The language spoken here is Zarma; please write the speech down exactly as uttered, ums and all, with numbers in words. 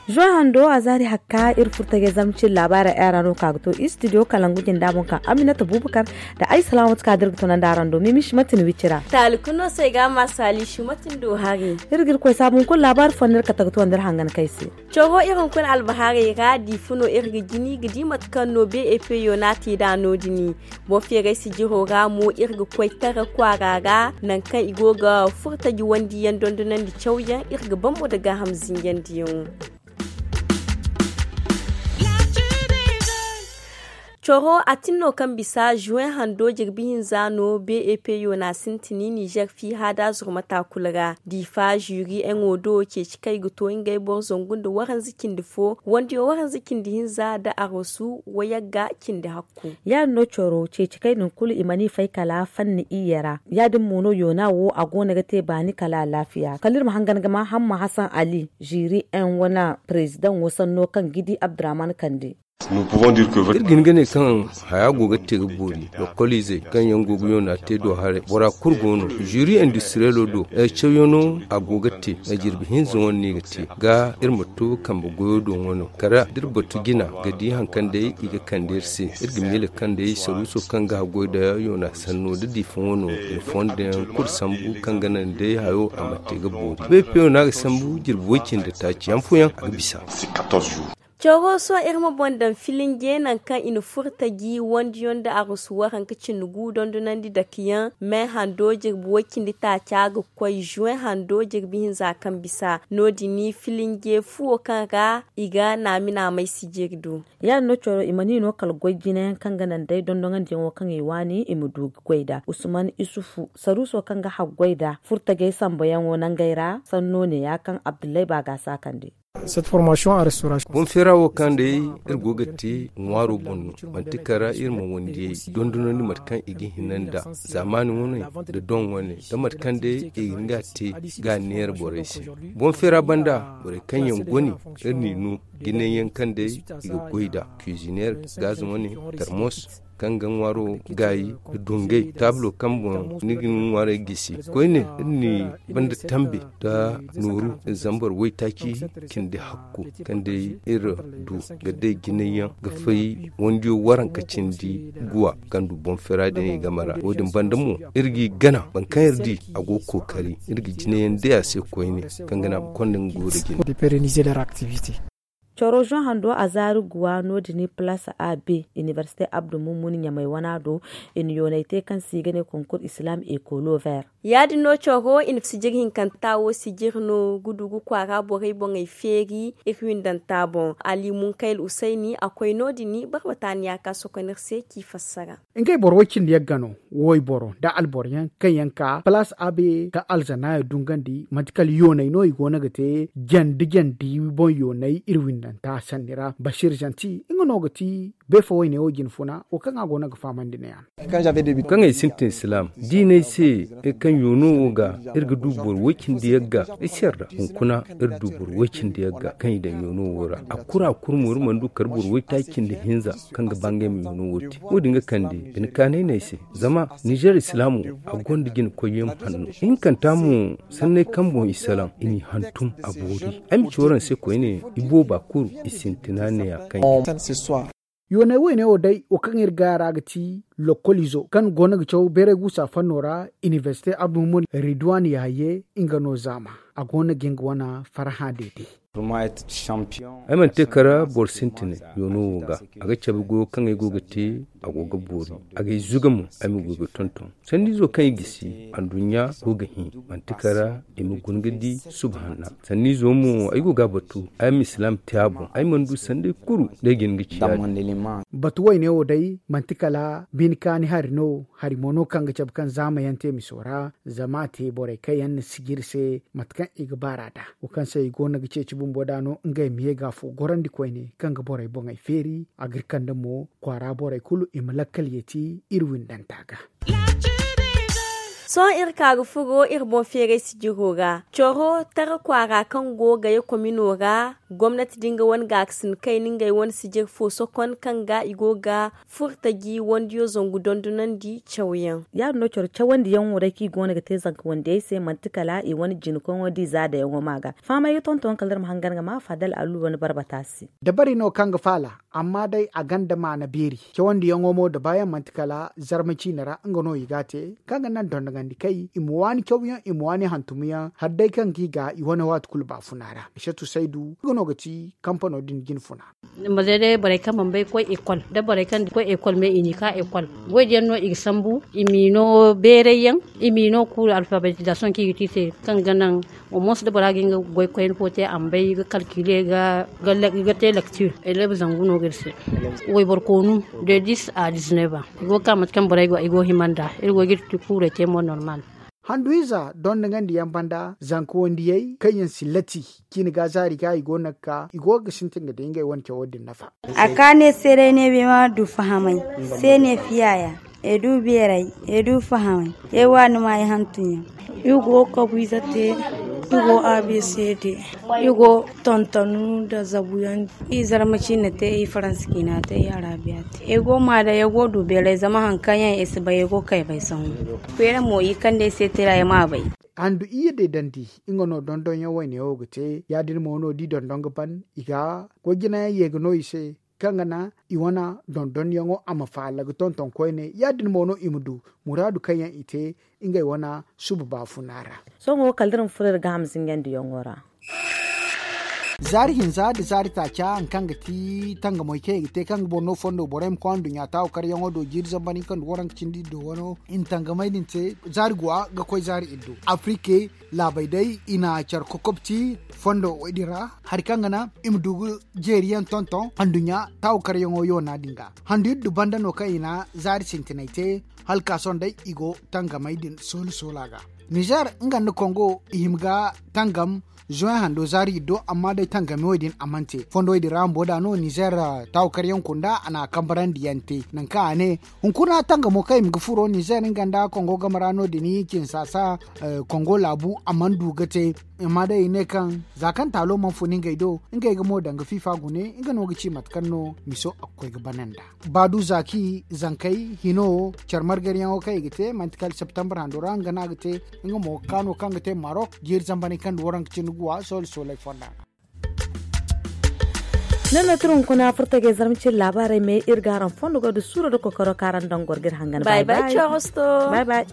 Zuwa hando a zaari hakka iri furtajey zamcin laabaara era no ka ga to istidiyo kalangu jinda boŋ ka aminata bubakar da ay salaamatu ka dirga tunandi araŋ do mimishi matin wicira. Taali kunno se ga ma saali shi matin do hari. Iri ga iri koy saabu hunkuna laabaari fo nda iri kate ga to nda iri hangan kay se. Coro iri hunkuna albahaarey ra diifa no iri ga jini ga di mate kaŋ no beepe yo no a te nd'a no- din. Boŋ feeray sijiro ra mo iri ga koy tara kwaara ra nangu kaŋ i go ga furtaji wandiyaŋ dondonandi cawyaŋ iri ga bambo nda gaaham zinjandiyaŋo. Coro a tin no kaŋ bisa juwen hando jirbi hinza no beepe yo no a sintin nizer fiiha da zurmata kulu ra diifa zuri eŋo do ceeci kaŋ i ga to ngey boro zangu nda waranza cindi fo wandiyo waranza cindi hinza nda arosu wayagga cindi hakku. Ya- din no coro ceeci kaŋ i din kulu i mana i fay kala fanni iyye ra. Ya- din mo no yoona wo a go no ga te baani kala alaafiya kala iri ma hangan ga ma hamma hasan ali ziri en wane parezidaŋo sanno kaŋ ga di abdurrahman kande. Iri ga hin ga ne kaŋ haya go ga te ga boori lokoliizey kaŋ yaŋ go ga yoona te do haray bora kulu go no ziri industiriyelo do. Cawyaŋo a go ga te jirbi hinza wane no i ga te ga iri ma to kambe goyo do wano kala da iri batu jina ga di hari kaŋ day i ga kande iri se. Iri ga miila kaŋ day saruuso kaŋ ga haggoy nda yoona sanno nda diifa wano nda fondo yaŋ kulu sambu kaŋ ga naŋ day hayo a ma te ga boori beepeyo no a ga sambu jirbi way-cindi taaci yaŋ fooyaŋ a ga bisa. Coro sohõ iri ma boŋ daŋ filinje nangu kaŋ i na furtaji wandiyaŋ nda arusu waranka cindi gu dondonandi dakeyaŋ me hando jirbi way-cindi taaca ga koy juwen hando jirbi hinza kaŋ bisa no- din filinje fuwo kaŋ ra i ga naami naamay sijiri do. Ya- din no coro i mana i no kala goy jinayaŋ kaŋ ga naŋ day dondonandiyaŋo kaŋ i waani i ma du ga goy nd'a usman isufu saruuso kaŋ ga haggoy nd'a furtajey samboyaŋo nangey ra sanno ne ya kaŋ abdullahi baagaasa kande. Boŋ feera wo kaŋ day iri go ga te ŋwaaro boŋ no manti kala iri ma wandiyey dondonandi mate kaŋ i ga hina nda zaamaani wane nda doŋ wane nda mate kaŋ day i ga hin ga a te ga a neera borey se. Boŋ feera banda borey kaŋ yaŋ gone iri n'i no jinay yaŋ kaŋ day i ga goy nd'a kuizineer gaaza wane tarmos kaŋ ga ŋwaaro gaayi nda dungay taablo kaŋ boŋ ni ga ni ŋwaarey gisi koyne iri n'i banda tambe nda nooru zambar waytaaci cindi hakku kaŋ day iri du ga day jinay yaŋ ga fay wandiyo waranka cindi guwa kaŋ du boŋ feera din i game ra wo- din banda mo iri g'i gana boro kaŋ iri di a go ga kookari iri ga jinay yaŋ day a se koyne kaŋ ga naŋ a ma konda nga goyo nda jine. Coro zoŋ hando a zaari guwa no- din place a b inibersite abdu mummuni ɲamay wana do i na yoonay te kaŋ se i ga ne konkur islam ekolo ver. Ya- din no coro i na sijir hinkanta wo sijir no gudugu kwaara borey boŋey feeri iri windanta boŋ ali munkayl usayni a koy no- din barbataniya ka sokonir se k'i fassara. Ngey boro way cindi yagga no wayboro nda alboro yaŋ kaŋ yaŋ ka palaas abe ka alzanaayo dungandi manti kala yooney no i go no ga te jandi jandi boŋ yooney iri windanta sanni ra basiir zanti nga no ga ti beefo wayne wo jine funa wo kaŋ a go no ga fahamandi ne ya no. Kaŋ ay sintin silaam diiney se iri kaŋ yoono wo ga iri ga du boro way cindi yagga ay se iri ra hunkuna iri du boro way cindi yagga kaŋ i daŋ yoono wo ra a kura a kura mo iri mana du kala boro waytaaci cindi hinza kaŋ ga ba ngey ma yoono wo te wo- din ga kande bine kaanay no ay se. Zama nizer islaamo a gonda jina koyyaŋ hanno ihinkanta mo sanney kaŋ boŋ i salaŋ i n'i hantum a boori ay ma ci waraŋ se koyne i booba kulu i sintina neeya kaŋ. Yoonay woyne wo day wo kaŋ iri ga a ra ga ti lokolizo kaŋ go no ga caw bayray guusa fanno ra inibersite abdulmumuni ridwan yahye nga no zaama a go no ga nga wane farhã deede. Ay mana te kala boro sintinay yoono wo ga a ga cabe goyo kaŋ ay go ga te a go ga boori a g'ay zuga mo ay ma goy ga tonton sanniizo kaŋ i gisi anduɲɲa go ga hẽ manti kala i ma guna ga di subhanna sanniizo mo ay go ga a batu ay ma islaam te a boŋ ay mana du sanday kulu day ga hin ga ci yaadin. Batu wayne wo day manti kala bine kaani hari no hari mo no kaŋ ga cabe kaŋ zaama yaŋ te miso ra zama a te borey kaŋ yaŋ na sijiri se mate kaŋ i ga baar'a nd'a wo kaŋ se i go no ga ceeci bumbo nd'a no ngey ma ye ga afo gorandi koyne kaŋ ga borey boŋey feeri a ga iri kande mo kwaara borey kulu i ma lakkal yeeti iri windanta ga. Sohõ iri ka ga furo iri boŋ feeray sijiro ra, coro tara kwaara kaŋ go ga ye komino ra. Gomnati din ga wane gaakasin kayna ngey wane sijir fo sokon kaŋ ga i go ga furtaji wandiyo zangu dondonandi cawyaŋ. Ya- din no coro cawandiyaŋo day kaŋ i go no ga te zanka wandiyey se manti kala i wane jina koyŋo da i zaadayaŋo ma ga fahamay ga tonton kala iri ma hangan ga ma faadal allu wane barbata se. Dabari no kaŋ ga faala, amma day a gonda maana beeri. Cawandiyaŋo mo da baayaŋ manti kala zarma ciine ra nga no i ga a te, kaŋ ga naŋ dondonandi kay i ma waani cawyaŋ i ma waani hantumyaŋ hala day kaŋ ga i ga i wane waati kulu baafuna ra. Isatu saydu nga no ga ti kampano din jinfuna. Ni ma zay day borey kaŋ mana bay ga koy ekol da borey kaŋ ga koy ekol me i n'i ka ekol. Goy diyaŋ no i ga sambu i m'i no beeray yaŋ, i m'i no kuuru alfabetizasiyoŋ kaŋ i ga te i se, kaŋ ga naŋ omoos da bora ga hin ga goy koyne fo te a ma bay ga kalkile ga te lektir. Eleeba zangu no ga iri se wayboro koonu de dis a dizneba. I go ga ka mate kaŋ borey go i go hima nd'a. Iri go ga iri kuurey te mo normal. Handu ize dondonandi yaŋ banda zanka wandiyey kaŋ yaŋ si lati ciine ga zaari ga i go no ga ka i go ga sintin ga day ngey wane cawo din nafa. A ka ne se day ne bay ma du fahamay se ne fiya ya. E du beeray, e du fahamay, e waani ma ay hantum yaŋ. I go kabu ize te, i go a b c d, i go tontonu nda zabu yaŋ. I zarma ciine te, i faransa ciina te, i arabiya te. I go ma day i go du beeray zama hari kaŋ yaŋ i si bay i go kay bay sangu. Feera mo i kande ay se tira ay ma bay. Handu iyye deedandi nga no dondonyaŋ wayne wo ga te ya- din mo no da i dondon ga ban i ga goy jinayaŋ ye ga no i se, kaŋ ga naŋ i wane dondonyaŋo a ma faala ga tonton koyne ya- din mo no i ma du muraadu kaŋ yaŋ i te ngey wane suba baafuna ra. Sohõ kala da iri ma furo iri ga hamzinyandiyaŋo ra. Zaari hinza nda zaari taaca hari kaŋ ga ti tangamey kaŋ i ga te kaŋ ga boro no fondo borey ma koy anduɲɲa taawu karyaŋo do jiiri zambar hinka nda waranka cindi iddu wano i na tangamey din te. Zaari guwa ga koy zaari iddu afirike laabey day i na care kokobti fondo din ra hari kaŋ ga naŋ i ma du ga jeeriyaŋ tonton anduɲɲa taawu karyaŋo yoona din ga. Handu iddu banda no kaŋ i na zaari sintinay te hala ka sohõ day i go tangamey din soola soola ga. Nizer nga nda kongo i hima ga tangam zuway hando zaari iddo amma day tangami wo- din a mana te fondowey din ra bumbo da no nizer taawu karyaŋ kunda a na a kambarandi yaŋ te nangu kaŋ a ne hunkuna tangamo kaŋ i ma ga furo nizer nga nda kongo game ra no- din i cinsaasa kongo laabu a mana du ga te. Amma day i ne kaŋ za kaŋ taalo mana fun ngey do ngey ga mo daŋ ga fiifa gune nga no ga ci mate kaŋ no miso a ga koy ga bana nd'a. Baadu zaaki zankey hino care margariyaŋo kaŋ i ga te manti kala septembre hando ra nga no a ga te. Nga mo ga kaano kaŋ ga te marok jiiri zambar hinka nda waranka cindi guwa soole sooley fonda ra. Nono tira hunkuna furtagey zarma cine laabaarey me iri ga araŋ fondo goy da suuro da kokoro kaŋ araŋ daŋ goro ga iri hangan. Bay bay.